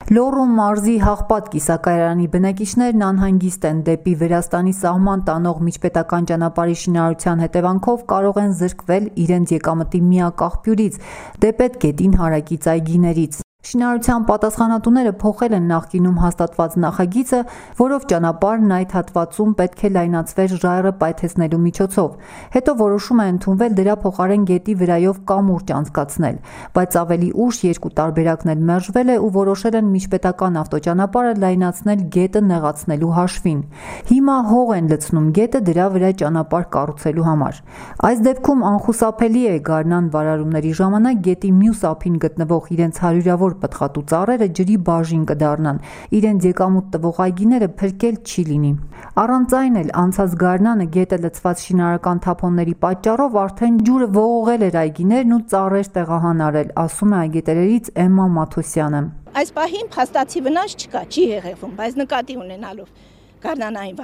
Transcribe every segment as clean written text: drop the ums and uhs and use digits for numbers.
Լոռու մարզի Հաղպատ կիսակայարանի բնակիչներն անհանգիստ են դեպի Վրաստանի սահման տանող միջպետական ճանապարհի շինարարության հետևանքով կարող են զրկվել իրենց եկամտի միակ աղբյուրից՝ Դեպետ գետին հարակից այգիներից։ Շինարարության պատասխանատուները փոխել են նախկինում հաստատված նախագիծը, որով ճանապարհն այդ հատվածում պետք է լայնացվեր ժայռը պայթեցնելու միջոցով։ Հետո որոշում է ընդունվել դրա փոխարեն գետի վրայով կամուրջ անցկացնել, բայց ավելի ուշ երկու տարբերակն էլ մերժվել է ու որոշել են միջպետական ավտոճանապարհը լայնացնել գետը նեղացնելու հաշվին։ Հիմա հող են լցնում գետը դրա վրա ճանապարհ կառուցելու համար։ Այս դեպքում անխուսափելի է գարնան վարարումների ժամանակ գետի մյուս ափին գտնվող իրենց հարյուրավոր պտղատու ծառերը ջրի բաժին կդառնան, իրենց եկամուտ տվող այգիները փրկել չի լինի։ Առանց այն էլ անցած գարնանը գետը լցված շինարարական թափոնների պատճառով արդեն ջուրը ողողել էր այգիներն ու ծառեր տեղահանարել, ասում է այգետերերից Էմմա Մաթոսյանը։ Այս պահին փաստացի վնաս չկա, չի հեղեղվում, բայց նկատի ունենալով գարնանային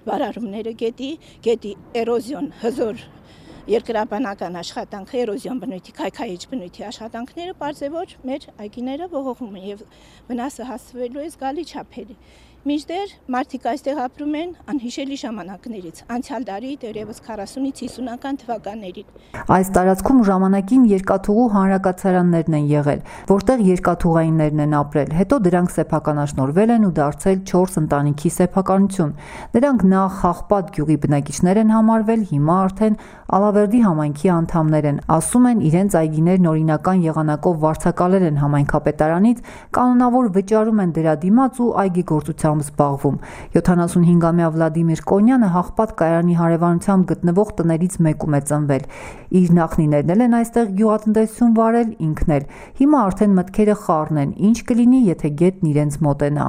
վարարումները գետի էրոզիոն, հզոր երկրաբանական աշխատանքը, էրոզիոն բնույթի, քայքայիչ բնույթի աշխատանքները պարզեւոր մեր այգիները ողողում են եւ վնասը հասցվելու է զգալի չափերի։ Մինչդեռ մարդիկ այստեղ ապրում են անհիշելի ժամանակներից, անցյալ դարի դեռևս 40-ից 50-ական թվականներին։ Այս տարածքում ժամանակին երկաթուղու հանրակացարաններն են եղել, որտեղ երկաթուղայիններն են ապրել, հետո դրանք սեփականաշնորհվել են ու դարձել 4 ընտանիքի սեփականություն։ Նրանք նախ Հաղպատ գյուղի բնակիչներ են համարվել, հիմա արդեն Ալավերդի համայնքի անդամներ են, ասում են իրենց այգիներն օրինական եղանակով վարձակալել են համայնքապետարանից, կանոնավոր վճարում են դրա դիմաց ու այգեգործությամբ զբաղվում։ 75-ամյա Վլադիմիր Կոնյանը Հաղպատ կայարանի հարևանությամբ գտնվող տներից մեկում է ծնվել։ Իր նախնիներն էլ են այստեղ գյուղատնտեսություն վարել, ինքն էլ։ Հիմա արդեն մտքերը խառն են, ինչ կլինի, եթե գետն իրենց մոտենա։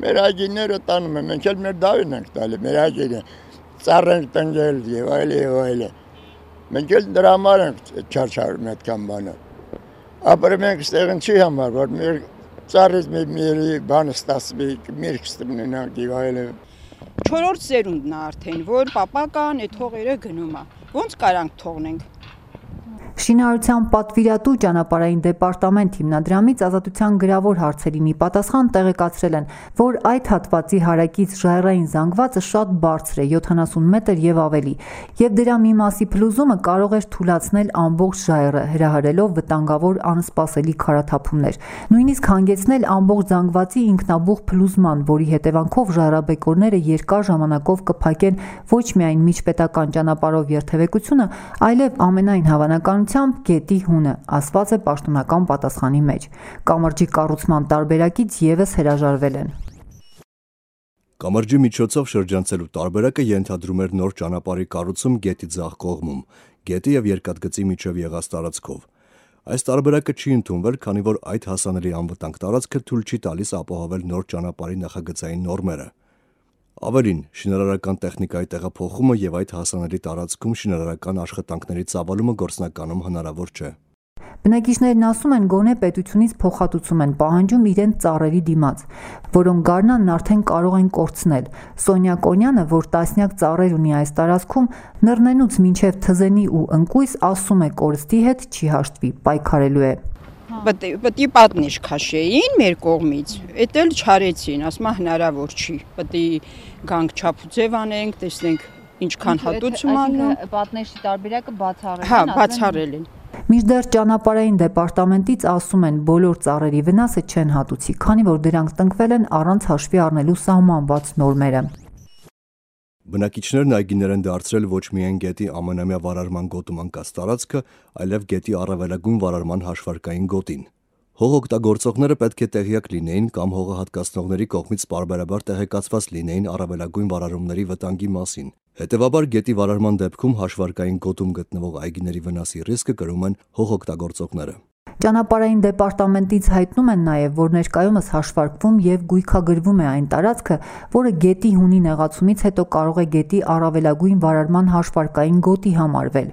Մեր այգիները տանում են, մենք էլ մեր դավին ենք տալի, մեր այգիները ծառ ենք տնկել եւ այլ։ Մենք էլ դրա համար ենք չարչարում այդքան բանը։ Ապրում ենք այստեղ չի համար, որ մեր ծառից մի բանը ստացվի, միրգ ստանանք եւ այլ։ 4-րդ սերունդն է արդեն, որ պապական այդ հողերը գնում է։ Ոնց կարանք թողնենք։ Շինարարության պատվիրատու ճանապարհային դեպարտամենտ հիմնադրամից ազատության գրավոր հարցերին ի պատասխան տեղեկացրել են, որ այդ հատվածի հարակից ժայռային զանգվածը շատ բարձր է, 70 մետր եւ ավելի, եւ դրա մի մասի փլուզումը կարող էր թուլացնել ամբողջ ժայռը, հրահրելով վտանգավոր անսպասելի քարաթափումներ, նույնիսկ հանգեցնել ամբողջ զանգվածի ինքնաբուխ փլուզման, որի հետևանքով ժայռաբեկորները երկար ժամանակով կփակեն ոչ միայն միջպետական ճանապարհով երթևեկությունը, այլև ամենայն հավանականությամբ գետի հունը, ասված է պաշտոնական պատասխանի մեջ։ Կամրջի կառուցման տարբերակից եւս հրաժարվել են։ Կամրջի միջոցով շրջանցելու տարբերակը ենթադրում էր նոր ճանապարհի կառուցում գետի ձախ կողմում, գետի եւ երկաթգծի միջև եղած տարածքով։ Այս տարբերակը չի ընդունվել, քանի որ այդ հասանելի անվտանգ տարածքը թույլ չի տալիս ապահովել նոր ճանապարհի նախագծային նորմերը։ Ավելին, շինարարական տեխնիկայի տեղափոխումը եւ այդ հասանելի տարածքում շինարարական աշխատանքների ծավալումը գործնականում հնարավոր չէ։ Բնակիչներն ասում են, գոնե պետությունից փոխհատուցում են պահանջում իրենց ծառերի դիմաց, որոնք գարնանն արդեն կարող են կորցնել։ Սոնյա Կոնյանը, որ տասնյակ ծառեր ունի այս տարածքում, նռնենուց մինչև թզենի ու ընկույզ, ասում է կորստի հետ չի հաշտվի, պայքարելու է։ Պետք է պատնեշ քաշեին մեր կողմից, էդ էլ չարեցին, ասում հնարավոր չի, պետք է գանք չափուձև անենք, տեսնենք ինչքան հատուցում անում։ Պատնեշի տարբերակը բացառել են։ Հա, բացառել են։ Մինչդեռ ճանապարհային դեպարտամենտից ասում են, բոլոր ծառերի վնասը չեն հատուցի, քանի որ դրանք տնկվել են առանց հաշվի առնելու սահմանված նորմերը։ Բնակիչներն այգիներ են դարձրել ոչ միայն գետի ամենամյա վարարման գոտում անկած տարածքը, այլև գետի առավելագույն վարարման հաշվարկային գոտին։ Հող օգտագործողները պետք է տեղյակ լինեին կամ հողը հատկացնողների կողմից պարբերաբար տեղեկացված լինեին առավելագույն վարարումների վտանգի մասին։ Հետևաբար գետի վարարման դեպքում հաշվարկային գոտում գտնվող այգիների վնասի ռիսկը կրում են հող օգտագործողները։ Ճանապարհային դեպարտամենտից հայտնում են նաև, որ ներկայումս հաշվարկվում եւ գույքագրվում է այն տարածքը, որը գետի հունի նեղացումից հետո կարող է գետի առավելագույն վարարման հաշվարկային գոտի համարվել։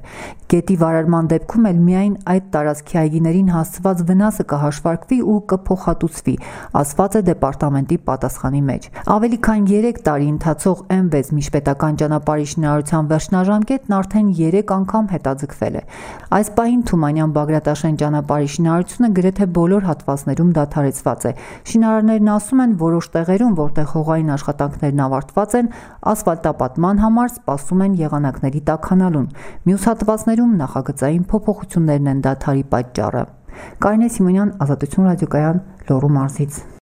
Գետի վարարման դեպքում էլ միայն այդ տարածքի այգիներին հասցված վնասը կհաշվարկվի ու կփոխհատուցվի, ասված է դեպարտամենտի պատասխանի մեջ։ Ավելի քան 3 տարի ընթացող M6 միջպետական ճանապարհի շինարարության վերջնաժամկետն արդեն 3 անգամ հետաձգվել է։ Այս պահին Թումանյան-Բագրատաշեն ճանապարհի շինարարությունը գրեթե բոլոր հատվածներում դադարեցված է։ Շինարարներն ասում են, որոշ տեղերում, որտեղ հողային աշխատանքներն ավարտված են, ասֆալտապատման համար սպասում են եղանակների տաքանալուն։ Մյուս հատվածներում նախագծային փոփոխություններն են դադարի պատճառը։ Կարինե Սիմոնյան, Ազատություն ռադիոկայան, Լոռու մարզից։